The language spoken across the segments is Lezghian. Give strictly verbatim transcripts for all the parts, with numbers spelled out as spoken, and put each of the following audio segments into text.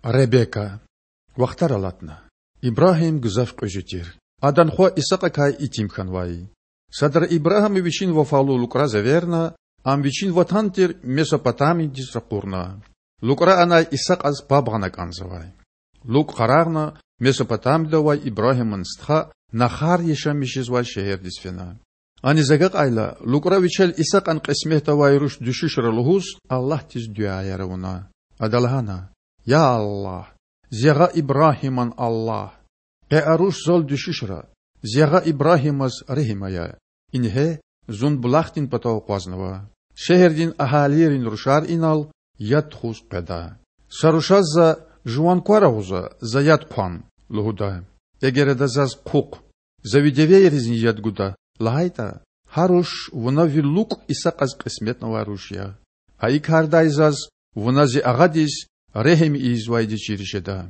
Ребека. Вахтар алатна. Ибрагьим гзаф кьуьзуь тир. Адан хва Исакьакай итим хьанвай. Садра Ибрагьима вичин вафалу лукІраз эверна, ам вичин ватан тир Месопотамиядиз ракъурна. ЛукІра анай Исакьаз паб гъана кІанзавай. ЛукІ къарагъна Месопотамияда авай Ибрагьиман стха Нахар яшамиш жезвай шегьердиз фена. Аниз агакьайла, лукІра вичел Исакьан кьисметда авай руш дуьшуьшра лугьуз Аллагьдиз дуьаяр авуна. Ада лагьана: Я Аллагь, зи агъа Ибрагьиман Аллагь! Къе а руш зал дуьшуьшра. Зи агъа Ибрагьимаз регьим ая. Ингье, зун булахдин патав акъвазнава. Шегьердин агьалийрин рушар инал яд тухуз къведа. Са рушаз за: Жуван квар агъуза, за яд хъван,– лугьуда. Эгер ада заз: Хъухъ, за ви девейризни яд гуда,– лагьайтІа, гьа руш вуна ви лукІ Исакьаз кьисметнавай руш я. Гьа и кардай заз вуна зи агъадиз регьим ийизвайди чир жеда.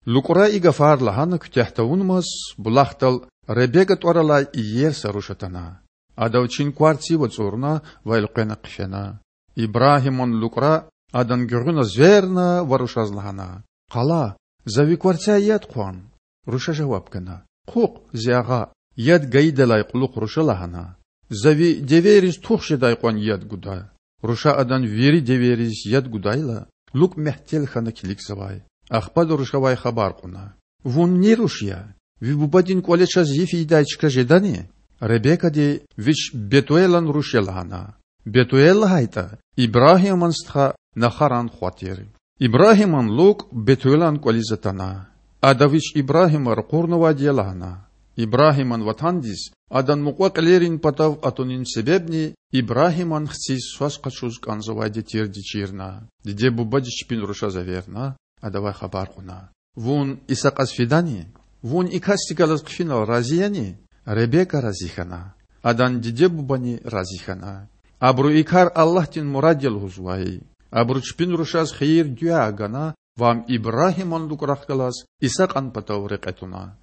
ЛукІра и гафар лагьана куьтягь тавунмаз, булахдал Ребека тІвар алай иер са руш атана. Ада вичин квар цив ацІурна ва элкъвена хъфена. Ибрагьиман лукІра адан гуьгъуьна зверна ва рушаз лагьана: Къала, за ви кварцяй яд хъван. Руша жаваб гана: Хъухъ, зи агъа! Яд гайидалай кьулухъ руша лагьана: За ви девейриз тух жедай кьван яд гуда. Руша адан вири девейриз яд гудайла, лукІ мягьтел хьана килигзавай. Ахпа ада рушавай хабар кьуна: Вун ни руш я? Ви бубадин кІвале чаз йиф ийидай чка жедани? Ребекади вич Бетуэлан руш я лагьана. Бетуэл лагьайтІа Ибрагьиман стха Нахаран хва тир. Ибрагьиман лукІ Бетуэлан кІвализ атана. Ада вич Ибрагьима ракъурнавайди я лагьана. Ибрагьиман ватандиз адан мукьва-кьилийрин патав атунин себебни Ибрагьиман хциз свас къачуз кІанзавайди тирди чирна. Диде-бубади чпин рушаз эверна, адавай хабар кьуна: Вун Исакьаз фидани? Вун и касдихъ галаз хъфинал рази яни? Ребека рази хьана. Адан диде-бубани рази хьана. Абуру и кар Аллагьдин мурад я лугьузвай. Абуру чпин рушаз хийир-дуьа гана ва ам Ибрагьиман лукІрахъ галаз Исакьан патав рекье туна.